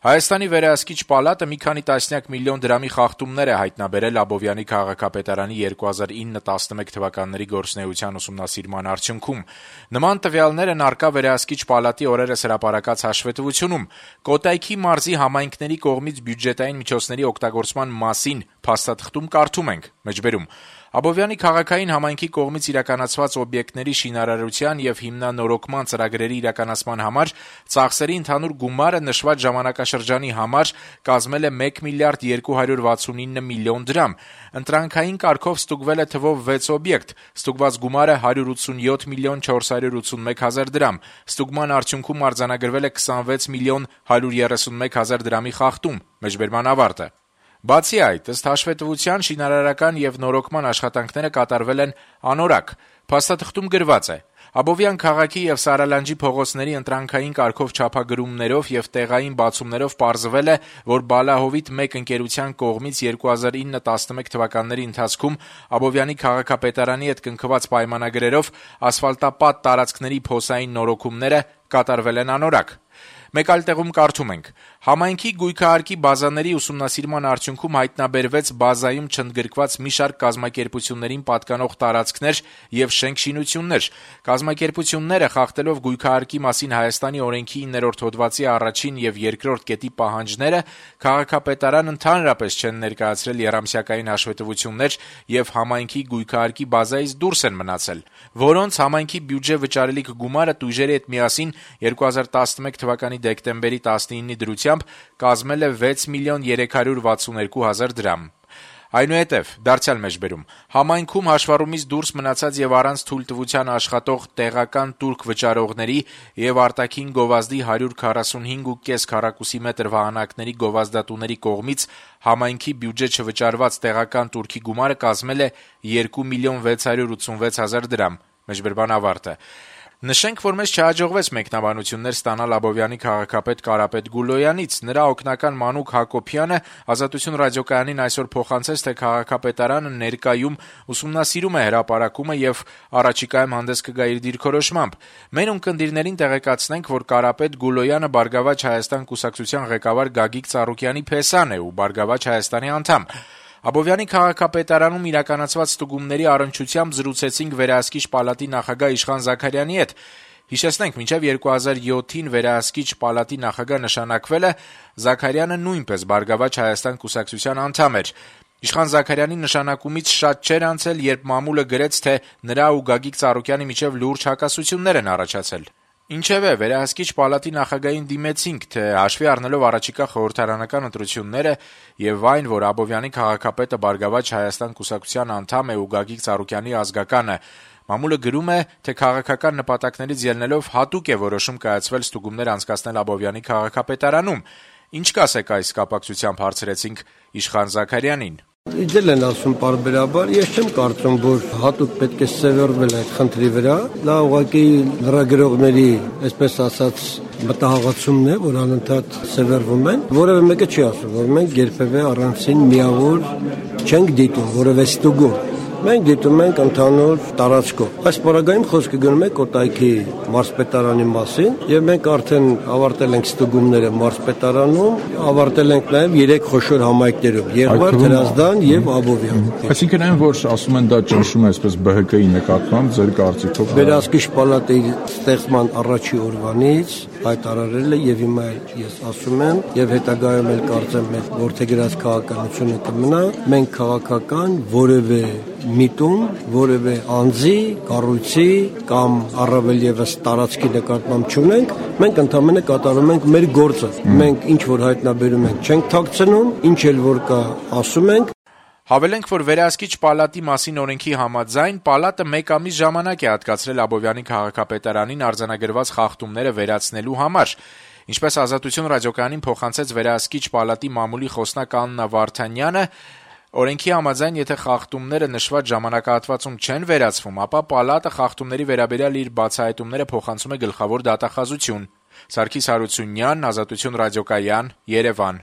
Հայաստանի վերահսկիչ պալատը մի քանի տասնյակ միլիոն դրամի խախտումներ է հայտնաբերել Աբովյանի քաղաքապետարանի 2009-11 թվականների գործունեության ուսումնասիրման արդյունքում։ Նման տվյալներն առկա վերահսկիչ պալատի օրերս հրապարակած հաշվետվությունում։ Կոտայքի մարզի համայնքների կողմից բյուջետային միջոցների օգտագործման մասին փաստաթղթում կարդում ենք. Աբովյանի քաղաքային համայնքի կողմից իրականացված օբյեկտների շինարարության եւ հիմնանորոգման ծրագրերի իրականացման համար ծախսերի ընդհանուր գումարը նշված ժամանակաշրջանի համար կազմել է 1 միլիարդ 269 միլիոն դրամ։ Ընտրանքային կարգով ստուգվել է թվով 6 օբյեկտ, ստուգված գումարը 187 միլիոն 481 հազար դրամ։ Ստուգման արդյունքում արձանագրվել է 26 միլիոն 131 հազար դրամի խախտում։ Բացի այդ, ըստ հաշվետվության, շինարարական եւ նորոգման աշխատանքները կատարվել են անորակ։ Փաստաթղթում գրված է. Աբովյան քաղաքի եւ Սարալանջի փողոցների ընտրանքային կարգով չափագրումներով եւ տեղային բացումներով պարզվել է, որ Բալահովիտ 1 ընկերության կողմից 2009-11 թվականների ընթացքում Աբովյանի քաղաքապետարանի հետ կնքված պայմանագրերով ասֆալտապատ տարածքների փոսային նորոգումները կատարվել են անորակ։ Մեկ այլ տեղում կարդում ենք. Համայնքի գույքահարկի բազաների ուսումնասիրման արդյունքում հայտնաբերվեց բազայում չընդգրկված մի շարք կազմակերպություններին պատկանող տարածքներ եւ շենք-շինություններ։ Կազմակերպությունները խախտելով գույքահարկի մասին Հայաստանի օրենքի 9-րդ հոդվածի առաջին եւ երկրորդ կետի պահանջները, քաղաքապետարան ընդհանրապես չեն ներկայացրել եռամսյակային հաշվետվություններ եւ համայնքի գույքահարկի բազայից դուրս են մնացել, որոնց համայնքի բյուջե վճարելիք գումարը տույժերի հետ միասին 2011 թվականի դեկտեմբերի 19-ի դրությամբ կազմել է 6 միլիոն 362 հազար դրամ։ Այնուհետև, համայնքում հաշվառումից դուրս մնացած եւ առանց թույլտվության աշխատող տեղական տուրք վճարողների եւ արտաքին գովազդի 145.5 քառակուսի մետր վահանակների գովազդատուների կողմից համայնքի բյուջե չվճարված տեղական տուրքի գումարը կազմել է 2 միլիոն 686 հազար դրամ։ Նշենք, որ մեզ չհաջողվեց մեկնաբանություններ ստանալ Աբովյանի քաղաքապետ Կարապետ Գուլոյանից։ Նրա օգնական Մանուկ Հակոբյանը Ազատություն ռադիոկայանին այսօր փոխանցեց, թե քաղաքապետարանը ներկայում ուսումնասիրում է հրապարակումը եւ առաջիկայում հանդես կգա իր դիրքորոշմամբ։ Մեր ունկնդիրներին տեղեկացնենք, որ Կարապետ Գուլոյանը Բարգավաճ Հայաստան կուսակցության ղեկավար Գագիկ Ծառուկյանի փեսան է ու Բարգավաճ Հայաստանի անդամ։ Աբովյանի քաղաքապետարանում իրականացված ստուգումների առնչությամբ զրուցեցինք վերահսկիչ պալատի նախագահ Իշխան Զաքարյանի հետ։ Հիշեցնենք, մինչև 2007-ին վերահսկիչ պալատի նախագահ նշանակվելը Զաքարյանը նույնպես Բարգավաճ Հայաստան կուսակցության անդամ էր։ Իշխան Զաքարյանի նշանակումից շատ չէր անցել, երբ մամուլը գրեց, թե նրա ու Գագիկ Ծառուկյանի միջև լուրջ հակասություններ են առաջացել։ Ինչևէ, վերահսկիչ պալատի նախագահին դիմեցինք, թե հաշվի առնելով առաջիկա խորհրդարանական ընտրությունները եւ այն, որ Աբովյանի քաղաքապետը Բարգավաճ Հայաստան կուսակցության անդամ է ու Գագիկ Ծառուկյանի ազգականը, մամուլը գրում է, թե քաղաքական նպատակներից ելնելով հատուկ է որոշում կայացվել ստուգումներ անցկացնել Աբովյանի քաղաքապետարանում։ Ինչ կասեք այս կապակցությամբ, հարցրեցինք Իշխան Զաքարյանին։ Իդել են ասում պարբերաբար, ես չեմ կարծում, որ հատուկ պետք է սևեռվել այդ խնդրի վրա, դա ուղղակի լրագրողների, այսպես ասած, մտահաղացումն է, որ անընդհատ սևեռվում են, որևէ մեկը չի ասում, որ մենք երբևէ առանցին միավոր չենք դիտում որևէ ստուգում։ Մենք դիտում ենք ընդհանուր տարածքով։ Այս պարագայում խոսքը գնում է Կոտայքի մարզպետարանի մասին, եւ մենք արդեն ավարտել ենք ստուգումները մարզպետարանում, ավարտել ենք նաեւ 3 խոշոր համայնքներում՝ Եղվարդ, Հրազդան եւ Աբովյան։ Այսինքն այն, որ ասում են դա ճնշում է այսպես ԲՀԿ-ի նկատմամբ, ձեր կարծիքով Վերահսկիչ պալատի ստեղծման առաջի օրվանից հայտարարել է եւ հիմա ես ասում եմ եւ հետագայում էլ կարծեմ մեր որդեգրած քաղաքականությունը կմնա, մենք քաղաքական որևէ միտում, որևէ անձի, կառույցի կամ առավել եւս տարածքի նկատմամբ չունենք, մենք ընդհանրապես կատարում ենք մեր գործը։ Մենք ինչ որ հայտնաբերում ենք, չենք թաքցնում, ինչ էլ որ կա, ասում ենք։ Հավելենք, որ վերահսկիչ պալատի մասին օրենքի համաձայն պալատը 1 ամիս ժամանակ է հատկացրել Աբովյանի քաղաքապետարանին արձանագրված խախտումները վերացնելու համար։ Ինչպես Ազատություն ռադիոկայանին փոխանցեց վերահսկիչ պալատի մամուլի խոսնակ Աննա Վարդանյանը, օրենքի համաձայն, եթե խախտումները նշված ժամանակահատվածում չեն վերացվում, ապա պալատը խախտումների վերաբերյալ իր բացահայտումները փոխանցում է գլխավոր դատախազություն։ Սարգիս Հարությունյան, Ազատություն ռադիոկայան, Երևան։